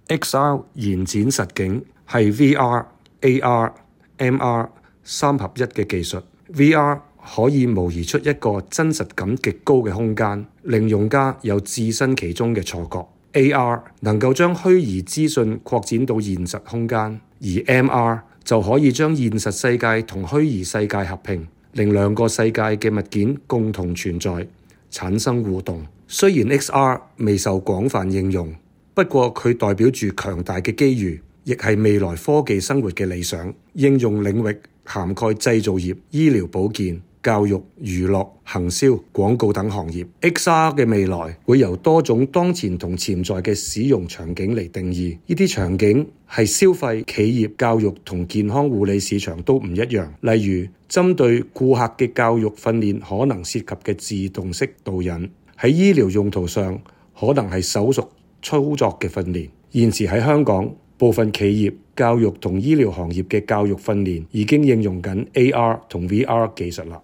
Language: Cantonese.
XR 延展實境係 VR、AR、MR 三合一嘅技術。VR 可以模擬出一個真實感極高嘅空間，令用家有置身其中嘅錯覺。AR 能夠將虛擬資訊擴展到現實空間，而 MR 就可以將現實世界同虛擬世界合併，令兩個世界嘅物件共同存在，產生互動。雖然 XR 未受廣泛應用，不過佢代表住強大嘅機遇，亦係未來科技生活嘅理想。應用領域涵蓋製造業、醫療保健、教育、娛樂、行銷、廣告等行業。XR 嘅未來會由多種當前同潛在嘅使用場景嚟定義。呢啲場景係消費、企業、教育同健康護理市場都唔一樣。例如，針對顧客嘅教育訓練可能涉及嘅自動式導引，喺醫療用途上可能係手術操作嘅訓練。現時喺香港，部分企業、教育同醫療行業嘅教育訓練已經應用緊 AR 同 VR 技術啦。